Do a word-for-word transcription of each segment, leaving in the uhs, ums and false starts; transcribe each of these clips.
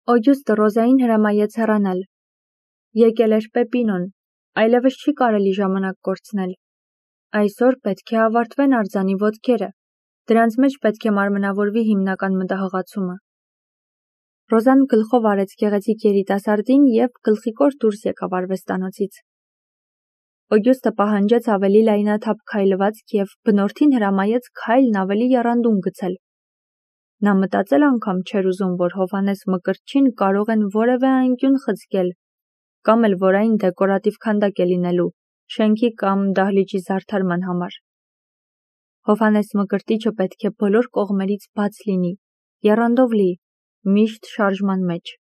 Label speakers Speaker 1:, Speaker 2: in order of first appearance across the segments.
Speaker 1: Օգյուստը Ռոզային հրամայեց հեռանալ։ Եկել էր Պեպինոն, այլևս չի կարելի ժամանակ կորցնել։ Այսօր պետք է ավարտվեն արձանի ոտքերը, դրանց մեջ պետք է մարմնավորվի հիմնական մտահղացումը։ Ռոզան գլխով արեց գեղեցիկ երիտասարդին և գլխիկոր դուրս եկավ արվեստանոցից։ Օգյուստը պահանջեց ավելի լայնաթափ քայլվածք և բնորդին հրամայեց քայլն ավելի եռանդուն գցել։ Նա մտածել անգամ չէր ուզում, որ Հովհաննես Մկրտչին կարող են որևէ անկյուն խցկել, կամ էլ որ այն դեկորատիվ քանդակ է լինելու, շենքի կամ դահլիճի զարդարման համար։ Հովհաննես Մկրտիչը պետք է բոլոր կողմերից բաց լինի, եռանդով լի, միշտ շարժման մեջ։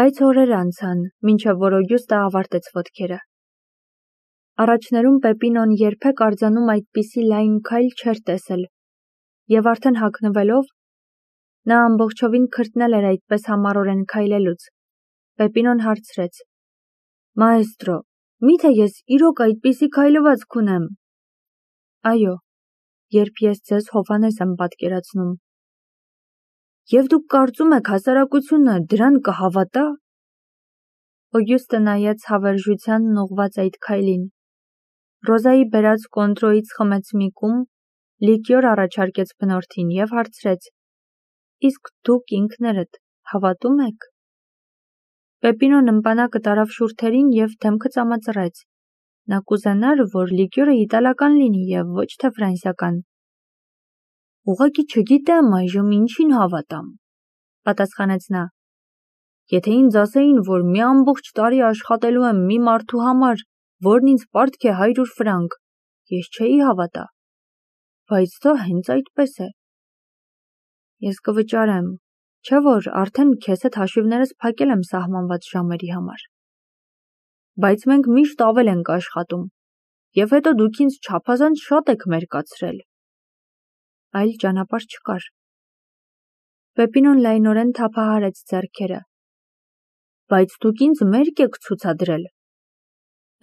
Speaker 1: Բայց օրեր անցան, մինչև որ Օգյուստը ավարտեց ոտքերը։ Առաջներում Պեպինոն երբեք արձանում այդպիսի լայն քայլ չէր տեսել, և արդեն հագնվելով, նա ամբողջովին քրտնել էր այդպես համառորեն քայլելուց։ Պեպինոն հարցրեց. «Մաեստրո, մի՞թե ես իրոք այդպիսի քայլվածք ունեմ»։ «Այո, երբ ես ձեզ Հովհաննես եմ պատկերացնում»։ «Եվ դուք կարծում եք հասարակությունը դրան կհավատա»։ Օգյուստը նայեց հավերժությանն ուղղված այդ քայլին։ Ռոզայի բերած կոնտրոյից խմեց մի կում, լիկյոր առաջարկեց բնորդին և հարցրեց. «Իսկ դուք ինքներդ հավատո՞ւմ եք»։ Պեպինոն ըմպանակը տարավ շուրթերին և դեմքը ծամածռեց։ Նա կուզենար, որ լիկյորը իտալական լինի և ոչ թե ֆրանսիական։ «Ուղղակի չգիտեմ այժմ ինչին հավատամ», պատասխանեց նա։ «Եթե ինձ ասեին, որ մի ամբողջ տարի աշխատելու եմ մի մարդու համար, որն ինձ պարտք է հարյուր ֆրանկ, ես չէի հավատա, բայց դա հենց այդպես է»։ «Ես կվճարեմ, չէ՞ որ արդեն քեզ հետ հաշիվներս փակել եմ սահմանված ժամերի համար»։ «Բայց մենք միշտ ավել ենք աշխատում, և հետո դուք ինձ չափազանց շատ եք մերկացրել»։ Այլ ճանապարհ չկար։ Պեպինոն լայնորեն թափահարեց ձեռքերը։ «Բայց դուք ինձ մերկ եք ցուցադրել»։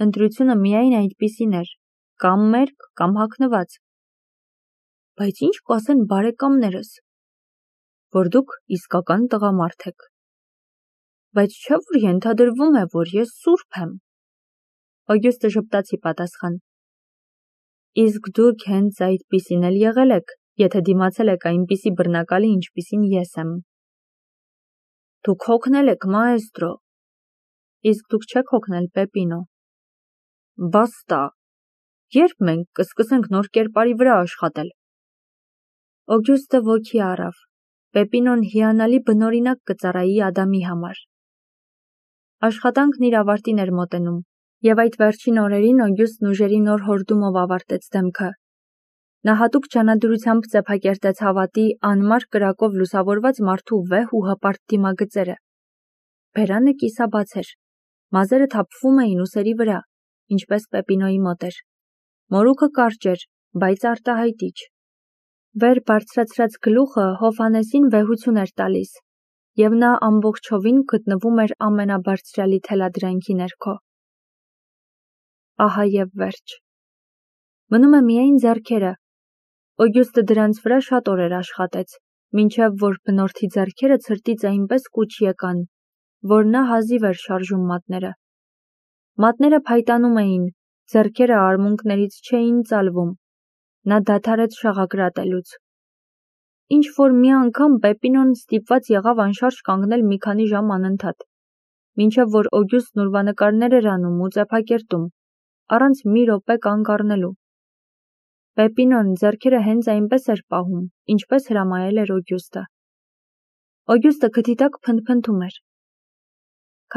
Speaker 1: Ընտրությունը միայն այդպիսին էր, կամ մերկ, կամ հագնված։ «Բայց ինչ կասեն բարեկամներս»։ «Որ դուք իսկական տղամարդ եք»։ «Բայց չէ՞ որ ենթադրվում է, որ ես սուրբ եմ»։ Օգյուստը ժպտաց ի պատասխան։ «Իսկ դուք հենց այդպիսին էլ եղել եք, եթե դիմացել եք այնպիսի բռնակալի, ինչպիսին ես եմ»։ «Դուք հոգնել եք, մաեստրո»։ «Իսկ դուք չեք հոգնել, Պեպինո»։ «Բաստա, ե՞րբ մենք կսկսենք նոր կերպարի վրա աշխատել»։ Օգյուստը ոգի առավ։ Պեպինոն հիանալի բնօրինակ կծառայի Ադամի համար։ Աշխատանքն իր ավարտին էր մոտենում, և այդ վերջին օրերին Օգյուստն ուժերի նոր հորդումով ավարտեց դեմքը։ Նա հատուկ ջանադրությամբ ծեփակերտեց հավատի անմար կրակով լուսավորված մարդու վեհ ու հպարտ դիմագծերը։ Բերանը կիսաբաց էր, մազերը թափվում էին ուսերի վրա, ինչպես Պեպինոյի մոտ էր։ Մորուքը կարճ էր, բայց արտահայտիչ։ Վեր բարձրացրած գլուխը Հովհաննեսին վեհություն էր տալիս, և նա ամբողջովին գտնվում էր ամենաբարձրյալի թելադրանքի ներքո։ Ահա և վերջ։ Մնում է միայն ձեռքերը։ Օգյուստը դրանց վրա շատ օրեր աշխատեց, մինչև որ բնորդի ձեռքերը ցրտից այնպես կուչ եկան, որ նա հազիվ էր շարժում մատները։ Մատները փայտանում էին, ձեռքերը արմունկներից չէին ծալվում։ Նա դադարեց շաղակրատելուց։ Ինչ-որ մի անգամ Պեպինոն ստիպված եղավ անշարժ կանգնել մի քանի ժամ անընդհատ, մինչև որ Օգյուստն ուրվանկարներ էր անում ու ծեփակերտում, առանց մի րոպե կանգ առնելու։ Պեպինոն ձեռքերը հենց այնպես էր պահում, ինչպես հրամայել էր Օգյուստը։ Օգյուստը քթի տակ փնթփնթում էր։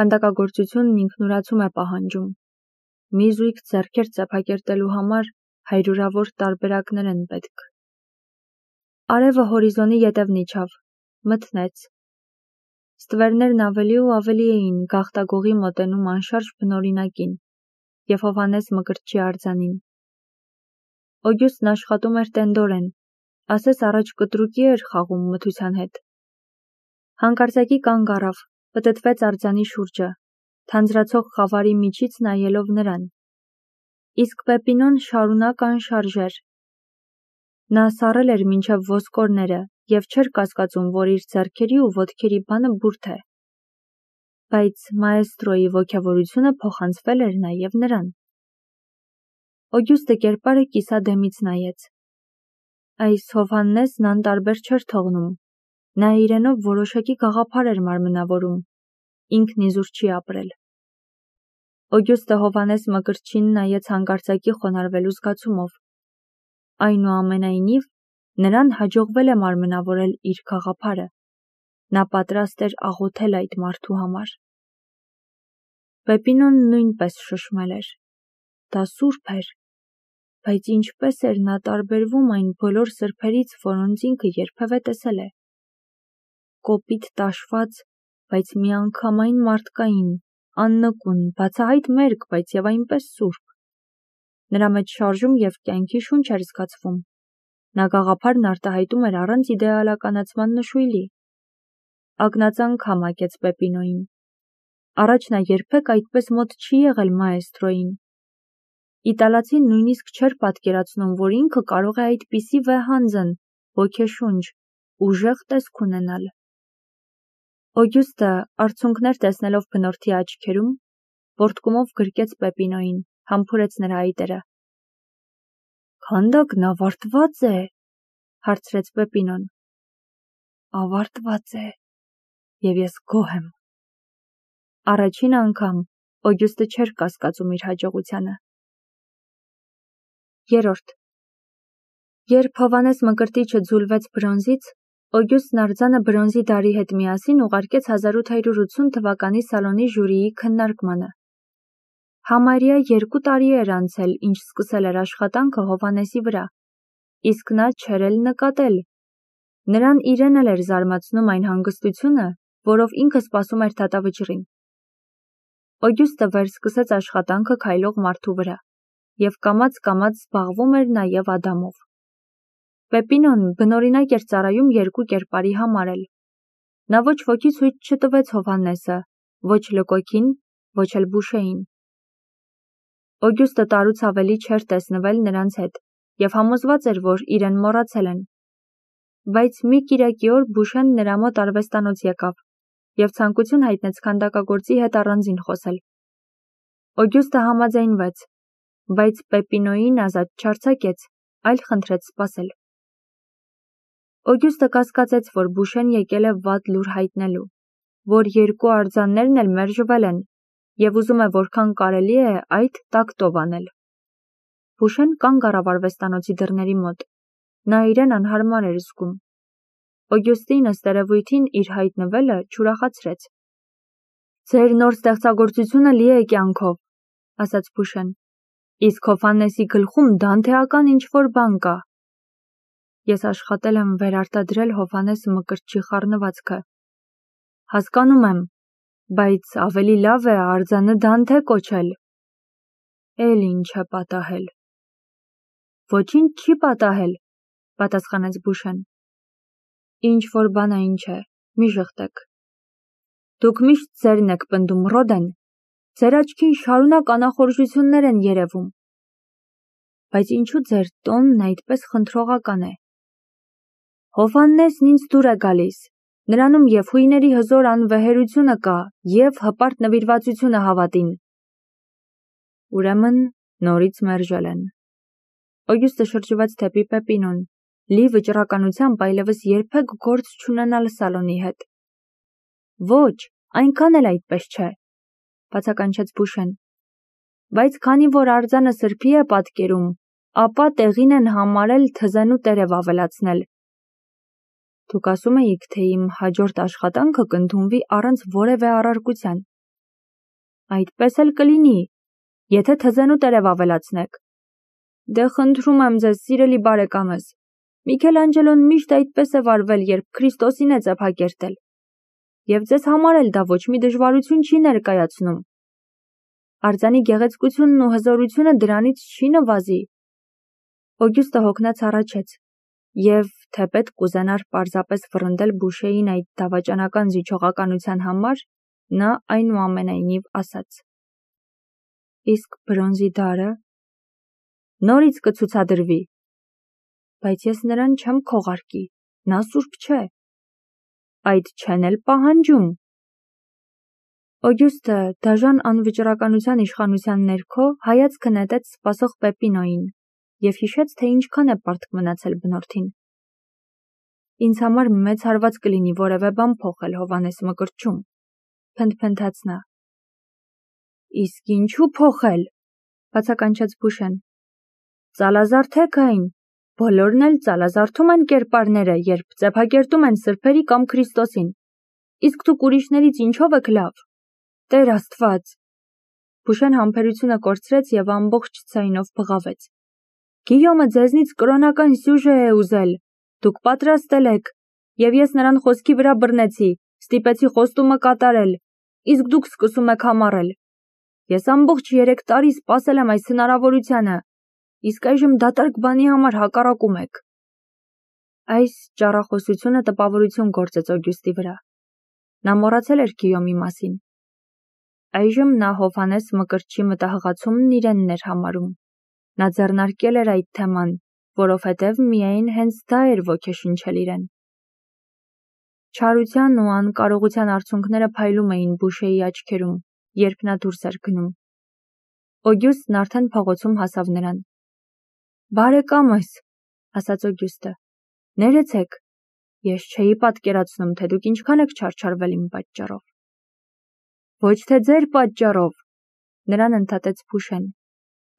Speaker 1: Քանդակագործությունն ինքնուրացում է պահանջում։ Մի զույգ ձեռքեր ծեփակերտելու համար հարյուրավոր տարբերակներ են պետք։ Արևը հորիզոնի ետևն իջավ, մթնեց։ Ստվերներն ավելի ու ավելի էին գաղտագողի մոտենում անշարժ բնօրինակին և Հովհաննես Մկրտչի արձանին։ Օգյուստն աշխատում էր տենդորեն, ասես առաջ կտրուկի էր խաղում մթության հետ։ Հանկարծակի կանգ առավ, պտտվեց արձանի շուրջը, թանձրացող խավարի միջից նայելով նրան։ Իսկ Պեպինոն շարունակ անշարժ էր։ Նա սառել էր մինչև ոսկորները և չէր կասկածում, որ իր ձեռքերի ու ոտքերի բանը բուրդ է։ Բայց մաեստրոյի ոգևորությունը փոխանցվել էր նաև նրան։ Օգյուստը կերպարը կիսադեմից նայեց։ Այս Հովհաննեսն անտարբեր չէր թողնում, նա իրենով որոշակի գաղափար էր մարմնավորում, ինքն իզուր չի ապրել։ Օգյուստը Հովհաննես Մկրտչին նայեց հանկարծակի խոնարհվելու զգացումով։ Այնուամենայնիվ, նրան հաջողվել է մարմնավորել իր գաղափարը, նա պատրաստ էր աղոթել այդ մարդու համար։ Պեպինոն նույնպես շշմել էր, դա սուրբ էր, բայց ինչպես էր նա տարբերվում այն բոլոր սրբերից, որոնց ինքը երբևէ տեսել է։ Կոպիտ տաշված, բայց միանգամայն մարդկային, աննկուն, բացահայտ մերկ, բայց և այնպես սուրբ։ Նրա մեջ շարժում և կյանքի շունչ էր զգացվում։ Նա գաղափարն արտահայտում էր առանց իդեալականացման նշույլի։ Ակնած անգամ ակեց Պեպինոյին։ Առաջ նա երբեք այդպես մոտ չի եղել մաեստրոյին։ Իտալացին նույնիսկ չէր պատկերացնում, որ ինքը կարող է այդպիսի վեհանձն, ոգեշունչ, ուժեղ տեսք ունենալ։ Օգյուստը, արցունքներ տեսնելով բնորդի աչքերում, ոտքումով գրկեց Պեպինոյին, համբուրեց նրա այտերը։ Քանդակն ավարտված է, հարցրեց Պեպինոն։ Ավարտված է, և ես գոհ եմ։ Առաջին անգամ Օգյուստը չէր կասկածում իր հաջողությանը։ Երորդ Երբ Հովհաննես Մկրտիչը ձուլվեց բրոնզից, Օգյուստն արձանը բրոնզի դարի հետ միասին ուղարկեց հազար ութ հարյուր ութսուն թվականի Սալոնի ժյուրիի քննարկմանը։ Համարյա երկու տարի էր անցել, ինչ սկսել էր աշխատանքը Հովհաննեսի վրա, իսկ նա չէր էլ նկատել։ Նրան իրեն էլ էր զարմացնում այն հանգստությունը, որով ինքը սպասում էր դատավճռին։ Օգյուստը վերսկսեց աշխատանքը քայլող մարդու վրա, և կամաց-կամաց զբաղվում էր նաև Ադամով։ Պեպինոն բնօրինակ էր ծառայում երկու կերպարի համար էլ։ Նա ոչ ոքի ցույց չտվեց Հովհաննեսը, ոչ Լկոքին, ոչ էլ Բուշեին։ Օգյուստը տարուց ավելի չէր տեսնվել նրանց հետ և համոզված էր, որ իրեն մոռացել են։ Բայց մի կիրակի օր Բուշեն նրա մոտ արվեստանոց եկավ և ցանկություն հայտնեց քանդակագործի հետ առանձին խոսել։ Օգյուստը համաձայնվեց, բայց Պեպինոյին ազատ չարձակեց, այլ խնդրեց սպասել։ Օգյուստը կասկածեց, որ Բուշեն եկել է վատ լուր հայտնելու, որ երկու արձաններն էլ մերժվել են, և ուզում է որքան կարելի է այդ տակտով անել։ Բուշեն կանգ առավ արվեստանոցի դռների մոտ։ Նա իրեն անհարմար էր զգում։ Օգյուստին ըստ երևույթին իր հայտնվելը չուրախացրեց։ Ձեր նոր ստեղծագործությունը լի է կյանքով, ասաց Բուշեն, իսկ Հովհաննեսի գլխում դանթեական ինչ-որ բան կա։ Ես աշխատել եմ վերարտադրել Հովհաննես Մկրտչի խառնվածքը։ Հասկանում եմ, բայց ավելի լավ է արձանը Դանթե կոչել։ Էլ ինչ է պատահել։ Ոչինչ չի պատահել, պատասխանեց Բուշեն։ Ինչ-որ բան այն չէ, մի ժխտեք։ Դուք միշտ ձերն եք պնդում, Ռոդեն, ձեր աչքին շարունակ անախորժություններ են երևում։ Բայց ինչու ձեր տոնն այդպես խնդրողական է։ Հովհաննեսն ինձ դուր է գալիս, նրանում և հույների հզոր անվեհերությունը կա, և հպարտ նվիրվածությունը հավատին։ Ուրեմն նորից մերժել են։ Օգյուստը շրջվեց դեպի Պեպինոն, լի վճռականությամբ այլևս երբեք գործ չունենալ Սալոնի հետ։ Ոչ, այնքան էլ այդպես չէ, բացականչեց Բուշեն։ Բայց քանի որ արձանը սրբի է պատկերում, ապա տեղին են համարել թզենու տերև ավելացնել։ Դուք ասում էիք, թե իմ հաջորդ աշխատանքը կընդունվի առանց որևէ առարկության։ Այդպես էլ կլինի, եթե թզենու տերև ավելացնեք։ Դե խնդրում եմ ձեզ, սիրելի բարեկամս, Միքելանջելոն միշտ այդպես է վարվել, երբ Քրիստոսին է ծեփակերտել։ Եվ ձեզ համար էլ դա ոչ մի դժվարություն չի ներկայացնում։ Արձանի գեղեցկությունն ու հզորությունը դրանից չի նվազի։ Օգյուստը հոգնած առաջեց, և թեպետ կուզենար պարզապես վռնդել Բուշեին այդ դավաճանական զիջողականության համար, նա այնուամենայնիվ ասաց. Իսկ բրոնզի դարը նորից կցուցադրվի, բայց ես նրան չեմ քողարկի։ նա սուրբ չէ։ Այդ չեն էլ պահանջում։ Օգյուստը դաժան անվճռականության իշխանության ներքո հայացքը նետեց սպասող Պեպինոյին և հիշեց, թե ինչքան է պարտք մնացել բնորդին։ Ինձ համար մեծ հարված կլինի որևէ բան փոխել Հովհաննես Մկրտչում, փնթփնթաց նա։ Իսկ ինչու փոխել, բացականչեց Փուշեն։ Ծալազարդեք այն, բոլորն էլ ծալազարդում են կերպարները, երբ ծեփակերտում են սրբերի կամ Քրիստոսին, իսկ դուք ուրիշներից ինչով եք լավ։ Տեր Աստված։ Փուշեն համբերությունը կորցրեց և ամբողջ ձայնով բղավեց։ Գիյոմը ձեզնից կրոնական սյուժե է ուզել, դուք պատրաստել եք, և ես նրան խոսքի վրա բռնեցի, ստիպեցի խոստումը կատարել, իսկ դուք սկսում եք համառել։ Ես ամբողջ երեք տարի սպասել եմ այս հնարավորությանը, իսկ այժմ դատարկ բանի համար հակառակում եք։ Այս ճառախոսությունը տպավորություն գործեց Օգյուստի վրա։ Նա մոռացել էր Գիյոմի մասին։ Այժմ նա Հովհաննես Մկրտչի մտահղացումն իրենն էր համարում։ Նա ձեռնարկել էր այդ թեման, որովհետև միայն հենց դա էր ոգեշնչել իրեն։ Չարության ու անկարողության արցունքները փայլում էին Բուշեի աչքերում, երբ նա դուրս էր գնում։ Օգյուստն արդեն փողոցում հասավ նրան։ Բարեկամս, ասաց Օգյուստը, ներեցեք, ես չէի պատկերացնում, թե դուք ինչքան եք չարչարվել իմ պատճառով։ Ոչ թե ձեր պատճառով, նրան ընդհատեց Փուշեն,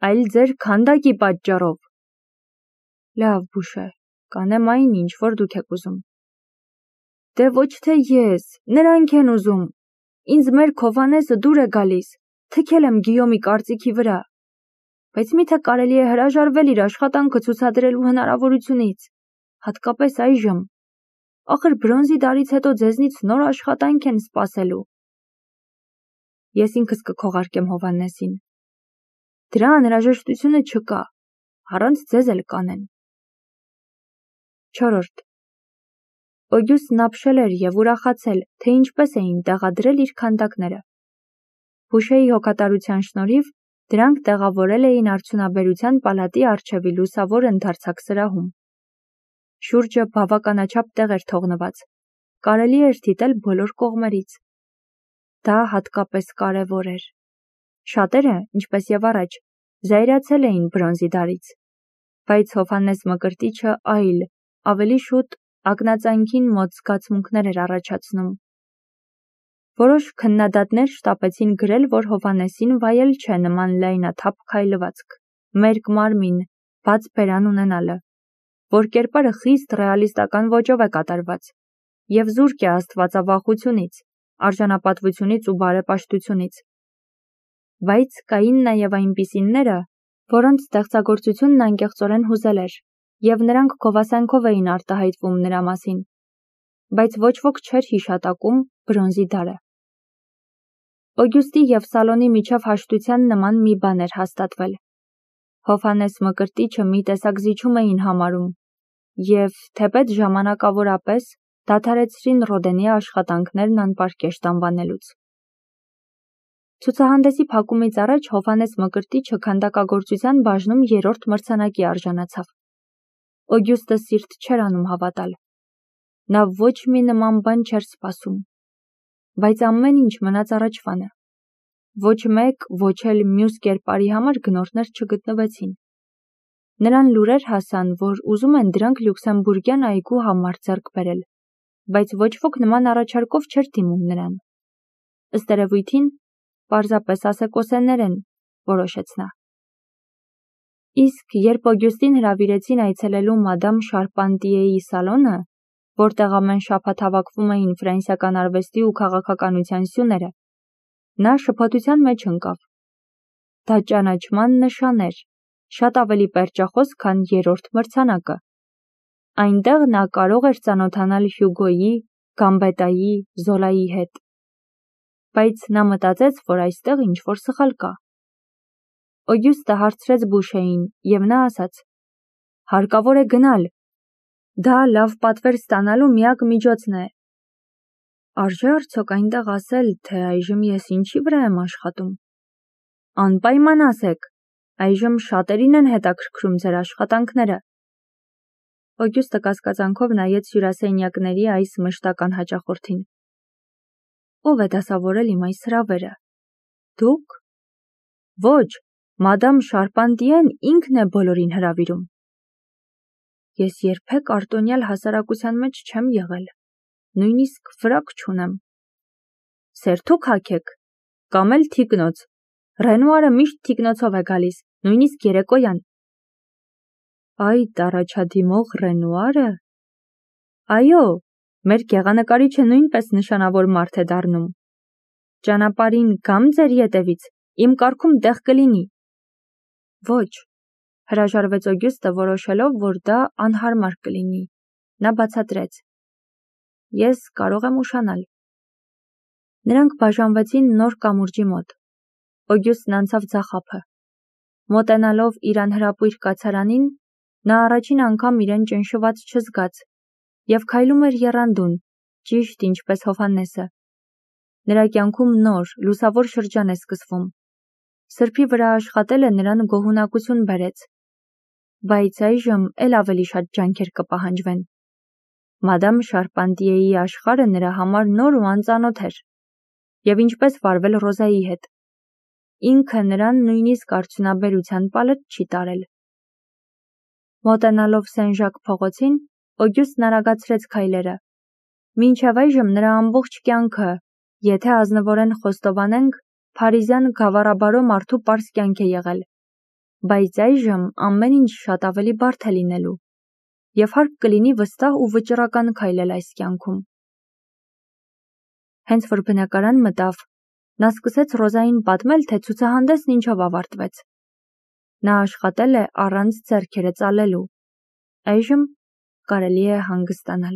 Speaker 1: այլ ձեր քանդակի պատճառով։ Լավ, Բուշե, կանեմ այն, ինչ որ դուք եք ուզում։ Դե ոչ թե ես, նրանք են ուզում։ Ինձ մեր Հովհաննեսը դուր է գալիս, թքել եմ Գիյոմի կարծիքի վրա։ Բայց միթե կարելի է հրաժարվել իր աշխատանքը ցուցադրելու հնարավորությունից, հատկապես այժմ։ Ախր բրոնզի դարից հետո ձեզնից նոր աշխատանք են սպասելու։ Ես ինքս կքողարկեմ Հովհաննեսին։ Դրա անհրաժեշտությունը չկա, առանց ձեզ էլ կանեն։ Չորրորդ. Օգյուստն ապշել էր և ուրախացել, թե ինչպես էին տեղադրել իր քանդակները։ Փուշեի հոգատարության շնորհիվ դրանք տեղավորել էին արդյունաբերության պալատի առջևի լուսավոր ընդարձակ սրահում։ Շուրջը բավականաչափ տեղ էր թողնված, կարելի էր դիտել բոլոր կողմերից։ Դա հատկապես կարևոր էր։ Շատերը, ինչպես և առաջ, զայրացել էին բրոնզի դարից, բայց Հովհաննես Մկրտիչը այլ, ավելի շուտ ակնածանքին մոտ զգացմունքներ էր առաջացնում։ Որոշ քննադատներ շտապեցին գրել, որ Հովհաննեսին վայել չէ նման լայնաթափ քայլվածք, մերկ մարմին, բաց բերան ունենալը, որ կերպարը խիստ ռեալիստական ոճով է կատարված և զուրկ է աստվածավախությունից, արժանապատվությունից ու բարեպաշտությունից։ Բայց կային նաև այնպիսիները, որոնց ստեղծագործությունն անկեղծորեն հուզել էր, և նրանք գովասանքով էին արտահայտվում նրա մասին, բայց ոչ ոք չէր հիշատակում բրոնզի դարը։ Օգյուստի և Սալոնի միջև հաշտության նման մի բան էր հաստատվել։ Հովհաննես Մկրտիչը մի տեսակ զիջում էին համարում, և, թեպետ ժամանակավորապես, դադարեցրին Ռոդենի աշխատանքներն անպարկեշտ անվանելուց։ Ցուցահանդեսի փակումից առաջ Հովհաննես Մկրտիչը քանդակագործության բաժնում երրորդ մրցանակի արժանացավ։ Օգյուստը սիրտ չէր անում հավատալ։ Նա ոչ մի նման բան չէր սպասում։ Բայց ամեն ինչ մնաց առաջվանը։ Ոչ մեկ, ոչ էլ մյուս կերպարի համար գնորդներ չգտնվեցին։ Նրան լուրեր հասան, որ ուզում են դրանք Լյուքսեմբուրգյան այգու համար ձեռք բերել, բայց ոչ ոք նման առաջարկով չէր դիմում նրան։ Ըստ երևույթին, պարզապես ասեկոսեներ են, որոշեց նա։ Իսկ երբ Օգյուստին հրավիրեցին այցելելու մադամ Շարպանտիեի սալոնը, որտեղ ամեն շաբաթ հավաքվում էին ֆրանսիական արվեստի ու քաղաքականության սյուները, նա շփոթության մեջ ընկավ։ Դա ճանաչման նշան էր, շատ ավելի պերճախոս, քան երրորդ մրցանակը։ Այնտեղ նա կարող էր ծանոթանալ Հյուգոյի, Գամբետայի, Զոլայի հետ։ Բայց նա մտածեց, որ այստեղ ինչ-որ սխալ կա։ Օգյուստը հարցրեց Բուշեին, և նա ասաց. հարկավոր է գնալ։ Դա լավ պատվեր ստանալու միակ միջոցն է։ Արժե արդյոք այնտեղ ասել, թե այժմ ես ինչի վրա եմ աշխատում։ Անպայման ասեք, այժմ շատերին են հետաքրքրում ձեր աշխատանքները։ Օգյուստը կասկածանքով նայեց հյուրասենյակների այս մշտական հաճախորդին։ Ո՞վ է դասավորել իմ այս հրավերը։ Դուք։ Ոչ, մադամ Շարպանտիեն ինքն է բոլորին հրավիրում։ Ես երբեք արտոնյալ հասարակության մեջ չեմ եղել, նույնիսկ ֆրակ չունեմ։ Սերթուք հագեք, կամ էլ թիկնոց։ Ռենուարը միշտ թիկնոցով է գալիս, նույնիսկ երեկոյան։ Այդ առաջադիմող Ռենուարը։ Այո, մեր գեղանկարիչը նույնպես նշանավոր մարդ է դառնում։ Ճանապարհին գամ ձեր ետևից, իմ կառքում տեղ կլինի։ Ոչ, հրաժարվեց Օգյուստը, որոշելով, որ դա անհարմար կլինի։ Նա բացատրեց. Ես կարող եմ ուշանալ։ Նրանք բաժանվեցին նոր կամուրջի մոտ։ Օգյուստն անցավ ձախափը։ Մոտենալով իր անհրապույր կացարանին, նա առաջին անգամ իրեն ճնշված չզգաց և քայլում էր եռանդուն, ճիշտ ինչպես Հովհաննեսը։ Նրա կյանքում նոր, լուսավոր շրջան է սկսվում։ Սրբի վրա աշխատելը նրան գոհունակություն բերեց։ Բայց այժմ էլ ավելի շատ ջանքեր կպահանջվեն։ Մադամ Շարպանտիեի աշխարհը նրա համար նոր ու անծանոթ էր։ Եվ ինչպես վարվել Ռոզայի հետ։ Ինքը նրան նույնիսկ արդյունաբերության պալետ չի տարել։ Մոտենալով Սեն-Ժակ փողոցին, Օգյուստն արագացրեց քայլերը։ Մինչև այժմ նրա ամբողջ կյանքը, եթե ազնվորեն խոստովանենք, փարիզյան գավառաբարո մարդու պարզ կյանք է եղել։ Բայց այժմ ամեն ինչ շատ ավելի բարդ է լինելու։ Եվ հարկ կլինի վստահ ու վճռական քայլել այս կյանքում։ Հենց որ բնակարան մտավ, նա սկսեց Ռոզային պատմել, թե ցուցահանդեսն ինչով ավարտվեց։ Նա աշխատել է առանց ձեռքերը ծալելու։ Այժմ կարելի է հանգստանալ։